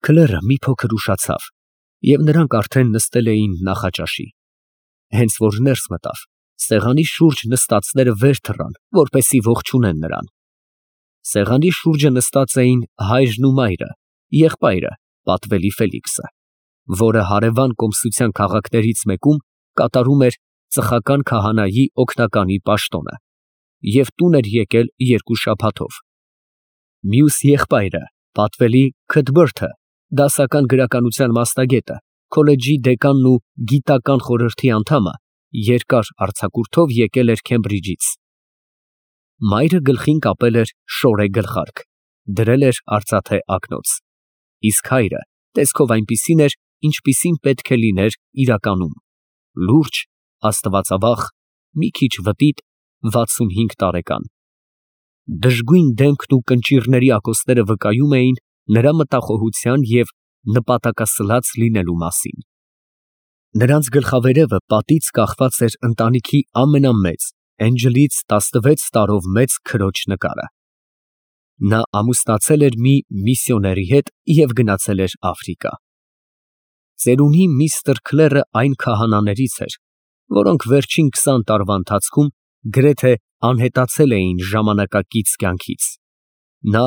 Քլերը մի փոքր ուշացավ, և նրանք արդեն նստել էին նախաճաշի։ Հենց որ ներս մտավ, սեղանի շուրջ նստածները վեր թռան, որպեսզի ողջունեն նրան։ Սեղանի շուրջը նստած էին հայրն ու մայրը, եղբայրը պատվելի Ֆելիքսը, որը հարևան կոմսության քաղաքներից մեկում կատարում էր ծխական քահանայի օգնականի պաշտոնը և տուն էր եկել 2 շաբաթով։ Մյուս եղբայրը պատվելի Քթբրթը, դասական գրականության մասնագետը, քոլեջի դեկանն ու գիտական խորհրդի անդամը, երկար արձակուրդով եկել էր Քեմբրիջից։ Մայրը գլխին կապել էր շորե գլխարկ, դրել էր արծաթե ակնոց, իսկ հայրը տեսքով այնպիսին էր, ինչպիսին պետք է լիներ իրականում, լուրջ, աստվածավախ, մի քիչ վտիտ, 65 տարեկան։ Դժգույն դեմքն ու կնճիռների ակոսները վկայում էին նրա մտախոհության և նպատակասլաց լինելու մասին։ Նրանց գլխավերևը պատից կախված էր ընտանիքի ամենամեծ, Էնջելից 16 տարով մեծ քրոջ նկարը։ Նա ամուսնացել էր մի միսիոների հետ և գնացել էր Աֆրիկա։ Ծերունի միստր Քլերը այն քահանաներից էր, որոնք վերջին 20 տարվա ընթացքում գրեթե անհետացել էին ժամանակակից կյանքից։ Նա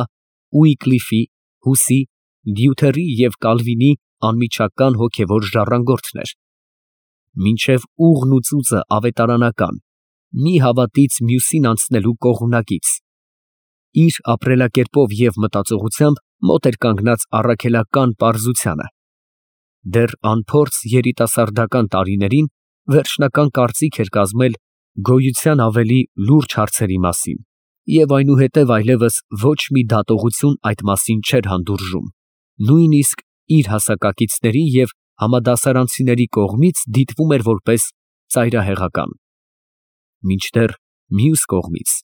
Ուիկլիֆի, Հուսի, Լյութերի և Կալվինի անմիջական հոգևոր ժառանգորդն էր։ Մինչև ուղն ու ծուծը ավետարանական, մի հավատից մյուսին անցնելու կողմնակից, իր ապրելակերպով և մտածողությամբ մոտ էր կանգնած առաքելական պարզությանը։ Դեռ անփորձ երիտասարդական տարիներին վերջնական կարծիք էր կազմել գոյության ավելի լուրջ հարցերի մասին և այնուհետև այլևս ոչ մի դատողություն այդ մասին չէր հանդուրժում, նույնիսկ իր հասակակիցների և համադասարանցիների կողմից դիտվում էր որպես ծայրահեղական։ Մինչդեռ մյուս կողմից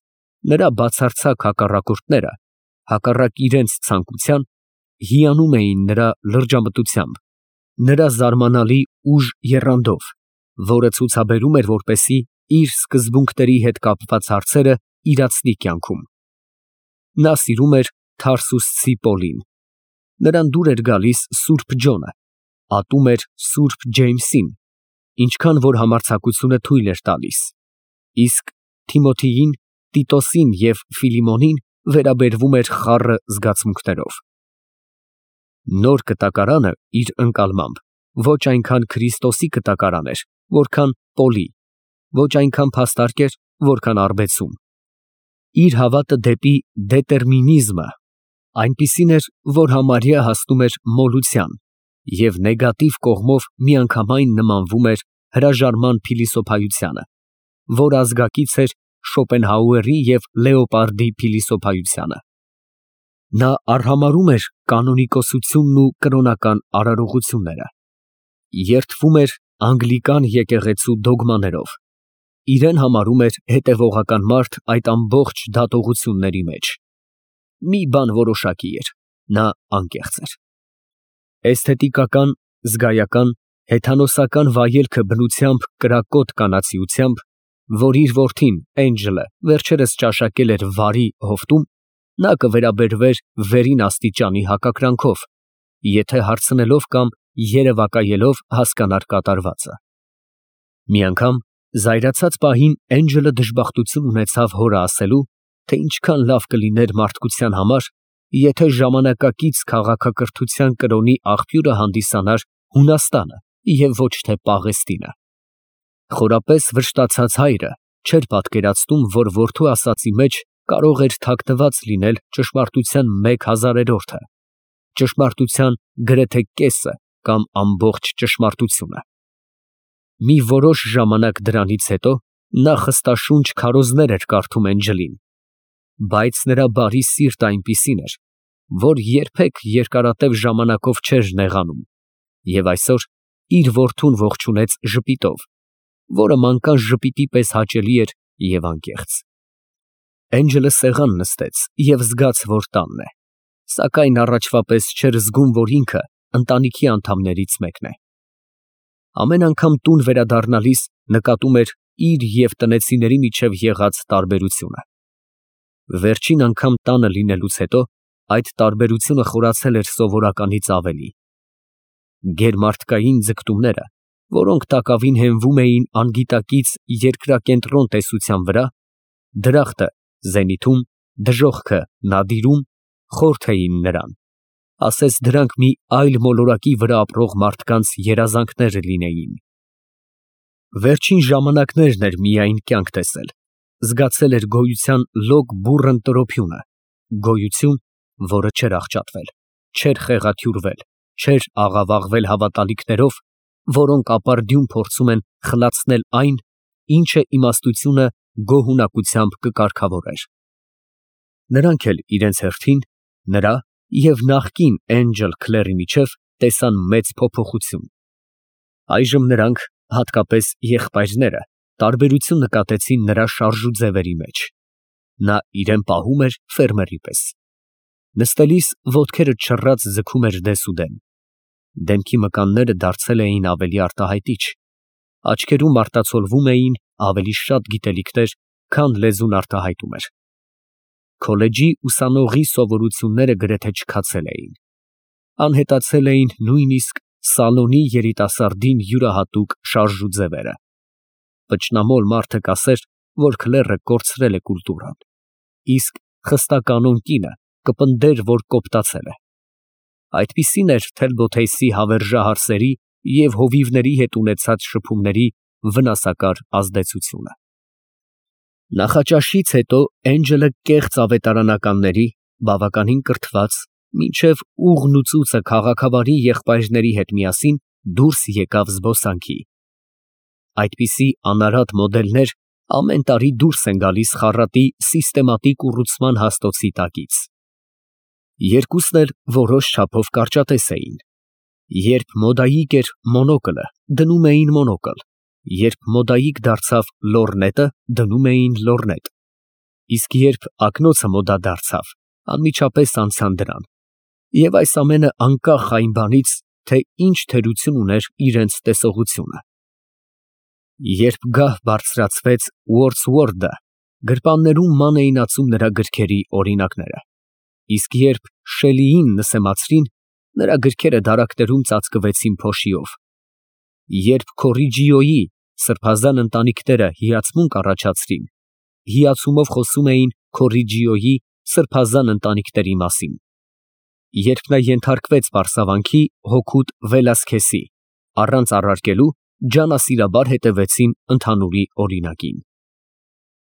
նրա բացարձակ հակառակորդները, հակառակ իրենց ցանկության, հիանում էին նրա լրջամտությամբ, նրա զարմանալի ուժ եռանդով, որը ցուցաբերում էր, որպեսզի իր սկզբունքների հետ կապված հարցերը իրացնի կյանքում։ Նա սիրում էր Թարսուսցի Պոլին, նրան դուր էր գալիս Սուրբ Ջոնը, ատում էր Սուրբ Ջեյմսին, ինչքան որ համարձակությունը թույլ էր տալիս, իսկ Թիմոթեին, Տիտոսին և Ֆիլիմոնին վերաբերվում էր խառը զգացմունքներով։ Նոր կտակարանը իր ընկալմամբ ոչ այնքան Քրիստոսի կտակարան էր, որքան Պոլի, ոչ այնքան փաստարկ էր, որքան առբեցում։ Իր հավատը դեպի դետերմինիզմը այնպիսին էր, որ համարյա հասնում էր մոլության և նեգատիվ կողմով միանգամայն նմանվում էր հրաժարման փիլիսոփայությանը, որ ազգակից էր Շոպենհաուերի և Լեոպարդի փիլիսոփայությանը։ Նա արհամարհում էր կանոնիկոսությունն ու կրոնական արարողությունները, երդվում էր անգլիկան եկեղեցու դոգմաներով, իրեն համարում էր հետևողական մարդ այդ ամբողջ դատողությունների մեջ։ Մի բան որոշակի էր, նա անկեղծ էր։ Էսթետիկական, զգայական, հեթանոսական վայելքը բնությամբ կրակոտ կանացիությամբ, որ իր որդին Էնջելը վերջերս ճաշակել էր վարի հովտում, նա կվերաբերվեր վերին աստիճանի հակակրանքով, եթե հարցնելով կամ երևակայելով հասկանար կատարվածը։ Մի անգամ զայրացած պահին Էնջելը դժբախտություն ունեցավ հորը ասելու, թե ինչքան լավ կլիներ մարդկության համար, եթե ժամանակակից քաղաքակրթության կրոնի աղբյուրը հանդիսանար Հունաստանը և ոչ թե Պաղեստինը։ Խորապես վշտացած հայրը չէր պատկերացնում, որ որդու ասածի մեջ կարող էր թաքնված լինել ճշմարտության 1/1000-ը, ճշմարտության գրեթե կեսը կամ ամբողջ ճշմարտությունը։ Մի որոշ ժամանակ դրանից հետո նա խստաշունչ քարոզներ էր կարդում Էնջելին, բայց նրա բարի սիրտը այնպիսին էր, որ երբեք երկարատև ժամանակով չէր նեղանում, և այսօր իր որդուն ողջունեց ժպիտով, որը մանկան ժպիտի պես հաճելի էր և անկեղծ։ Էնջելը սեղան նստեց և զգաց, որ տանն է, սակայն առաջվա պես չէր զգում, որ ինքը ընտանիքի անդամներից մեկն է։ Ամեն անգամ տուն վերադառնալիս նկատում էր իր և տնեցիների միջև եղած տարբերությունը։ Վերջին անգամ տանը լինելուց հետո այդ տարբերությունը խորացել էր սովորականից ավելի։ Գերմարդկային ձգտումները, որոնք տակավին հենվում էին անգիտակից երկրակենտրոն տեսության վրա, դրախտը զենիթում, դժոխքը նադիրում, խորթ էին նրան, ասես դրանք մի այլ մոլորակի վրա ապրող մարդկանց երազանքներ լինեին։ Վերջին ժամանակներն էր միայն կյանք տեսել, զգացել էր գոյության լոկ բուռն տրոփյունը, գոյություն, որը չէր աղճատվել, չէր խեղաթյուրվել, չէր աղավաղվել հավատալիքներով, որոնք ապարդյուն փորձում են խլացնել այն, ինչը իմաստությունը գոհունակությամբ կկարգավորեր։ Նրանք էլ իրենց հերթին, նրա և նախկին Էնջել Քլերի միջև տեսան մեծ փոփոխություն։ Այժմ նրանք, հատկապես եղբայրները, տարբերություն նկատեցին նրա շարժու ձևերի մեջ։ Նա իրեն պահում էր ֆերմերի պես։ Նստելիս ոտքերը չռած ձգում էր դեսուդեն։ Դեմքի մկանները դարձել էին ավելի արտահայտիչ, աչքերում արտացոլվում էին ավելի շատ գիտելիքներ, քան լեզուն արտահայտում էր։ Քոլեջի ուսանողի սովորությունները գրեթե չքացել էին։ Անհետացել էին նույնիսկ սալոնի երիտասարդին յուրահատուկ շարժու ձևերը։ Պճնամոլ մարդը կասեր, որ Քլերը կորցրել է կուլտուրան, իսկ խստականոն կինը կպնդեր, որ կոպտացել է։ Այդպիսին էր Թելբոթեյսի հավերժահարսերի և հովիվների հետ ունեցած շփումների վնասակար ազդեցությունը։ Նախաճաշից հետո Էնջելը կեղծ ավետարանականների, բավականին կրթված, մինչև ուղն ու ծուծը քաղաքավարի եղբայրների հետ միասին դուրս եկավ զբոսանքի։ Այդպիսի անարատ մոդելներ ամեն տարի դուրս են գալիս խառատի սիստեմատիկ ուռուցման հաստոցի տակից։ Երկուսն էլ որոշ չափով կարճատես էին։ Երբ մոդայիկ էր մոնոկլը, դնում էին մոնոկլ, երբ մոդայիկ դարձավ լոռնետը, դնում էին լոռնետ, իսկ երբ ակնոցը մոդա դարձավ, անմիջապես անցան դրան, և այս ամենը անկախ այն բանից, թե ինչ թերություն ուներ իրենց տեսողությունը։ Երբ գահ բարձրացվեց Ուորդսվորդը, գրպաններում ման էին ածում նրա գրքերի օրինակները, իսկ երբ Շելիին նսեմացրին, նրա գրքերը դարակներում ծածկվեցին փոշիով։ Երբ Քորիջիոյի սրբազան ընտանիքները հիացմունք առաջացրին, հիացումով խոսում էին Քորիջիոյի սրբազան ընտանիքների մասին։ Երբ նա ենթարկվեց պարսավանքի հօգուտ Վելասքեսի, առանց առարկելու ջանասիրաբար հետևեցին ընդհանուրի օրինակին։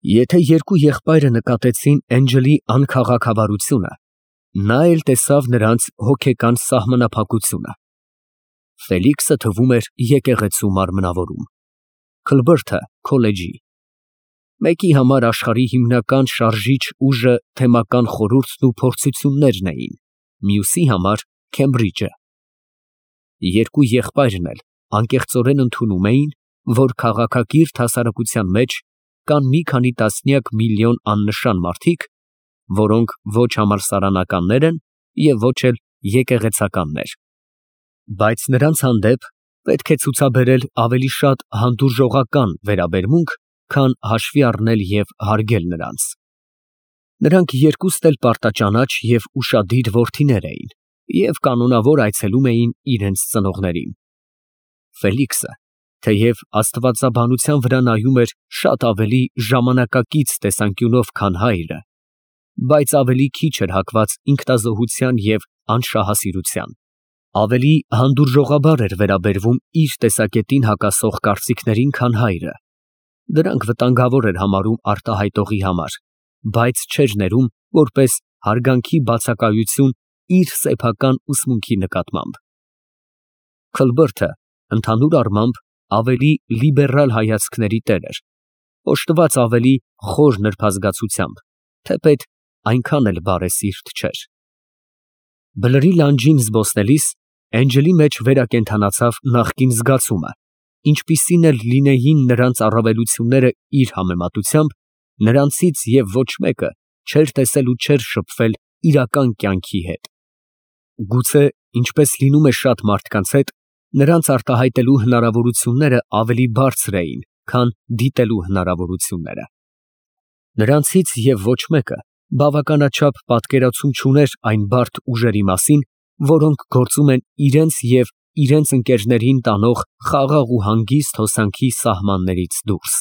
Եթե երկու եղբայրը նկատեցին Էնջելի անքաղաքավարությունը, նա էլ տեսավ նրանց հոգեկան սահմանափակությունը։ Ֆելիքսը թվում էր եկեղեցու մարմնավորում, Քլբրթը քոլեջի։ Մեկի համար աշխարհի հիմնական շարժիչ ուժը թեմական խորհուրդն ու փորձություններն էին, մյուսի համար Քեմբրիջը։ Երկու եղբայրն էլ անկեղծորեն ընդունում էին, որ քաղաքակիրթ հասարակության մեջ կան մի քանի տասնյակ միլիոն աննշան մարդիկ, որոնք ոչ համալսարանականներ են և ոչ էլ եկեղեցականներ, բայց նրանց հանդեպ պետք է ցուցաբերել ավելի շատ հանդուրժողական վերաբերմունք, քան հաշվի առնել և հարգել նրանց։ Նրանք երկուստ էլ պարտաճանաչ և ուշադիր որդիներ էին և կանոնավոր այցելում էին իրենց ծնողներին։ Ֆելիքսը, թեև աստվածաբանության վրա նայում էր շատ ավելի ժամանակակից տեսանկյունով, քան հայրը, բայց ավելի քիչ էր հակված ինքնազոհության և անշահասիրության, ավելի հանդուրժողաբար էր վերաբերվում իր տեսակետին հակասող կարծիքներին, քան հայրը, դրանք վտանգավոր էր համարում արտահայտողի համար, բայց չէր ներում որպես հարգանքի բացակայություն իր սեփական ուսմունքի նկատմամբ։ Քլբրթը ընդհանուր առմամբ ավելի լիբերալ հայացքների տեր էր, օժտված ավելի խոր նրբազգացությամբ, թեպետ այնքան էլ բարեսիրտ չէր։ Բլրի լանջին զբոսնելիս Էնջելի մեջ վերակենդանացավ նախկին զգացումը, ինչպիսին էլ լինեին նրանց առավելությունները իր համեմատությամբ, նրանցից և ոչ մեկը չէր տեսել ու չէր շփվել իրական կյանքի հետ։ Գուցե, ինչպես լինում է շատ մարդկանց հետ, նրանց արտահայտելու հնարավորությունները ավելի բարձր էին, քան դիտելու հնարավորությունները։ Նրանցից և ոչ մեկը բավականաչափ պատկերացում չուներ այն բարդ ուժերի մասին, որոնք գործում են իրենց և իրենց ընկերներին տանող խաղաղ ու հանգիստ հոսանքի սահմաններից դուրս։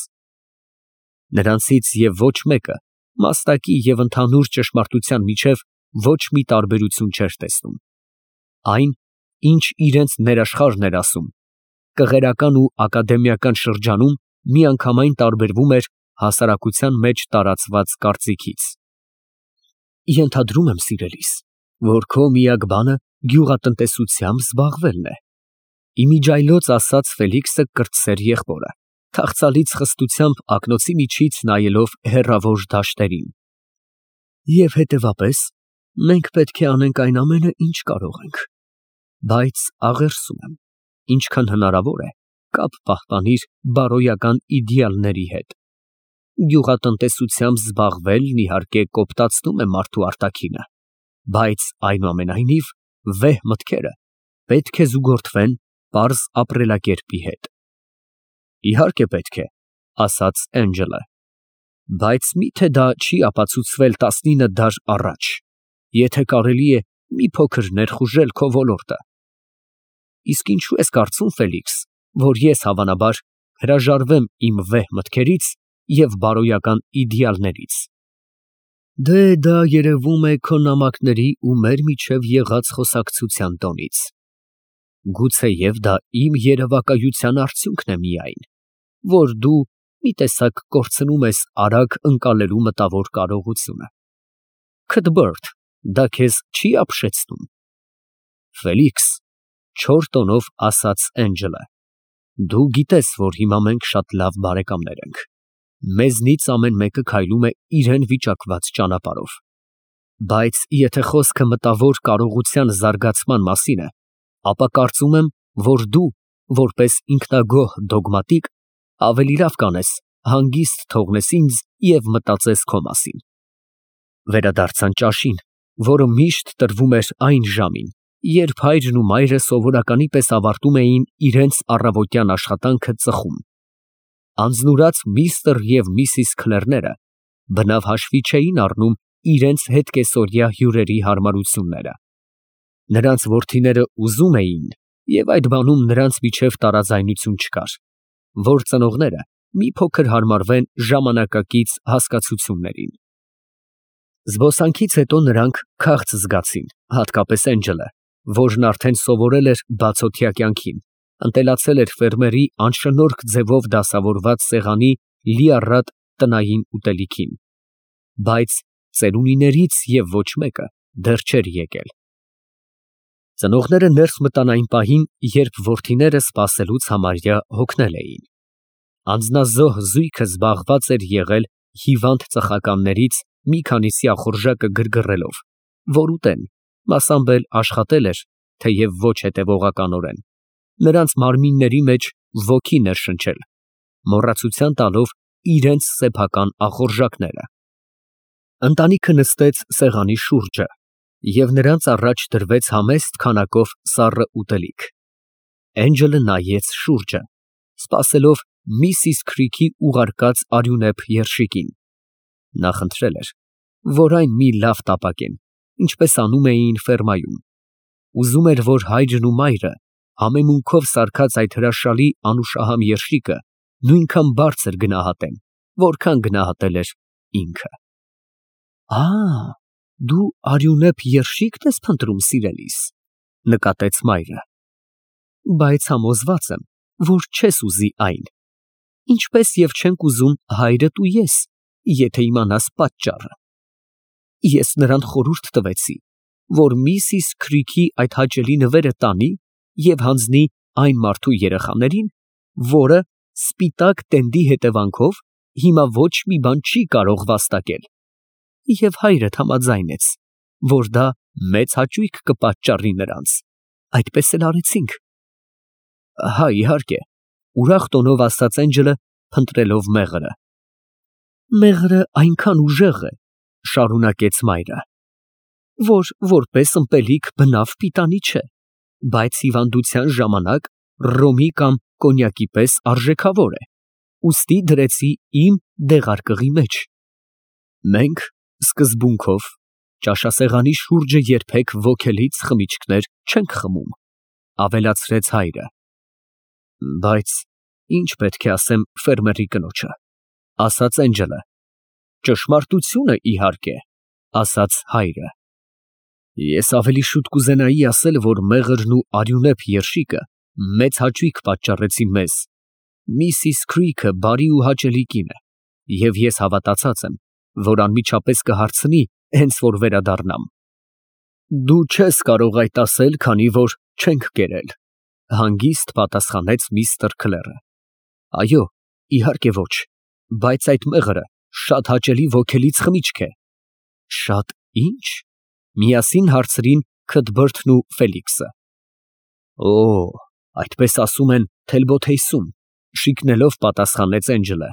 Նրանցից և ոչ մեկը մաստակի և ընդհանուր ճշմարտության միջև ոչ մի տարբերություն չէր տեսնում։ Այն, ինչ իրենց ներաշխարհն էր ասում, կղերական ու ակադեմիական շրջանում միանգամայն տարբերվում էր հասարակության մեջ տարածված կարծիքից։ Ենթադրում եմ, սիրելիս, որ քո միակ բանը գյուղատնտեսությամբ զբաղվելն է, իմիջիայլոց ասաց Ֆելիքսը կրտսեր եղբորը, թախծալից խստությամբ ակնոցի միջից նայելով հեռավոր դաշտերին։ Եվ հետևապես, մենք պետք է անենք այն ամենը, ինչ կարող ենք, բայց աղերսում եմ, ինչքան հնարավոր է, կապ պահպանիր բարոյական իդեալների հետ։ Գյուղատնտեսությամբ զբաղվելն իհարկե կոպտացնում է մարդու արտաքինը, բայց այնուամենայնիվ վեհ մտքերը պետք է զուգորդվեն պարզ ապրելակերպի հետ։ Իհարկե պետք է, ասաց Էնջելը, բայց միթե դա չի ապացուցվել 19 դար առաջ, եթե կարելի է մի փոքր ներխուժել քո ոլորտը։ Իսկ ինչու ես կարծում, Ֆելիքս, որ ես հավանաբար հրաժարվեմ իմ վեհ մտքերից և բարոյական իդեալներից։ Դե դա երևում է քո նամակների ու մեր միջև եղած խոսակցության տոնից։ Գուցեև դա իմ երևակայության արդյունքն է միայն, որ դու մի տեսակ կորցնում ես արագ ընկալելու մտավոր կարողությունը։ Քթբերթ, դա քեզ չի ապշեցնում։ Ֆելիքս, չոր տոնով ասաց Էնջելը, դու գիտես, որ հիմա մենք շատ լավ բարեկամներ ենք։ Մեզնից ամեն մեկը քայլում է իրեն վիճակված ճանապարհով։ Բայց եթե խոսքը մտավոր կարողության զարգացման մասին է, ապա կարծում եմ, որ դու, որպես ինքնագոհ դոգմատիկ, ավելի լավ կանես հանգիստ թողնես ինձ և մտածես քո մասին։ Վերադարձան ճաշին, որը միշտ տրվում էր այն ժամին, երբ հայրն ու մայրը սովորականի պես ավարտում էին իրենց առավոտյան աշխատանքը ծխում։ Անձնուրաց միստր և միսիս Քլերները բնավ հաշվի չէին առնում իրենց հետկեսօրյա հյուրերի հարմարությունները։ Նրանց որդիները ուզում էին, և այդ բանում նրանց միջև տարաձայնություն չկար, որ ծնողները մի փոքր հարմարվեն ժամանակակից հասկացություններին։ Զբոսանքից հետո նրանք քաղց զգացին, հատկապես Էնջելը, որն արդեն սովորել էր բացօթյա կյանքին, ընտելացել էր ֆերմերի անշնորհք ձևով դասավորված սեղանի լիառատ տնային ուտելիքին, բայց ծերունիներից և ոչ մեկը դեռ չէր եկել։ Ծնողները ներս մտան այն պահին, երբ որդիները սպասելուց համարյա հոգնել էին։ Անձնազոհ զույգը զբաղված էր եղել հիվանդ ծխականներից մի քանիսի ախորժակը գրգռելով, որ ուտեն, մասամբ էլ աշխատել էր, թեև ոչ հետևողականորեն, նրանց մարմինների մեջ ոգի ներշնչել, մոռացության տալով իրենց սեփական ախորժակները։ Ընտանիքը նստեց սեղանի շուրջը, և նրանց առաջ դրվեց համեստ քանակով սառը ուտելիք։ Էնջելը նայեց շուրջը, սպասելով Միսիս Քրիքի ուղարկած արյունեփ երշիկին։ Նա խնդրել էր, որ այն մի լավ տապակեն, ինչպես անում էին ֆերմայում։ Ուզում էր, որ հայրն ու մայրը համեմունքով սարքած այդ հրաշալի անուշահամ երշիկը նույնքան բարձր գնահատեն, որքան գնահատել էր ինքը։ Դու արյունեփ երշի՞կն ես փնտրում, սիրելիս, նկատեց մայրը։ Բայց համոզված եմ, որ չես ուզի այն, ինչպես և չենք ուզում հայրդ ու ես, եթե իմանաս պատճառը։ Ես նրան խորհուրդ տվեցի, որ Միսիս Քրիքի այդ հաճելի նվերը տանի և հանձնի այն մարդու երեխաներին, որը սպիտակ տենդի հետևանքով հիմա ոչ մի բան չի կարող վաստակել, և հայրդ համաձայնեց, որ դա մեծ հաճույք կպատճառի նրանց։ Այդպես էլ արեցինք։ Հա, իհարկե, ուրախ տոնով ասաց Էնջելը, փնտրելով մեղրը։ Մեղրը այնքան ուժեղ է, շարունակեց մայրը, որ որպես ըմպելիք բնավ պիտանի չէ, բայց հիվանդության ժամանակ ռոմի կամ կոնյակի պես արժեքավոր է, ուստի դրեցի իմ դեղարկղի մեջ։ Մենք, Սկզբունքով ճաշասեղանի շուրջը երբեք ոգելից խմիչքներ չենք խմում, ավելացրեց հայրը։ Բայց ինչ պետք է ասեմ ֆերմերի կնոջը, ասաց Էնջելը։ Ճշմարտությունը, իհարկե, ասաց հայրը։ Ես ավելի շուտ կուզենայի ասել, որ մեղրն ու արյունեպ երշիկը մեծ հաճույք պատճառեցին մեզ։ Միսիս Քրիքը բարի ու հաճելի կին է, և ես հավատացած եմ, որ անմիջապես կհարցնի, հենց որ վերադառնամ։ Դու չես կարող այդ ասել, քանի որ չենք կերել, հանգիստ պատասխանեց միստր Քլերը։ Այո, իհարկե ոչ, բայց այդ մեղրը շատ հաճելի ոգելից խմիչք է։ Շատ ի՞նչ, միասին հարցրին Քըթբըրթն ու Ֆելիքսը։ Օ, այդպես ասում են Թելբոթեյսում, շիկնելով պատասխանեց Էնջելը։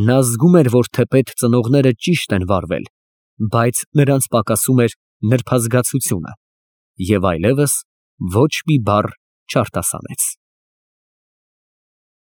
Նա զգում էր, որ թեպետ ծնողները ճիշտ են վարվել, բայց նրանց պակասում էր նրբազգացությունը, և այլևս ոչ մի բառ չարտասանեց։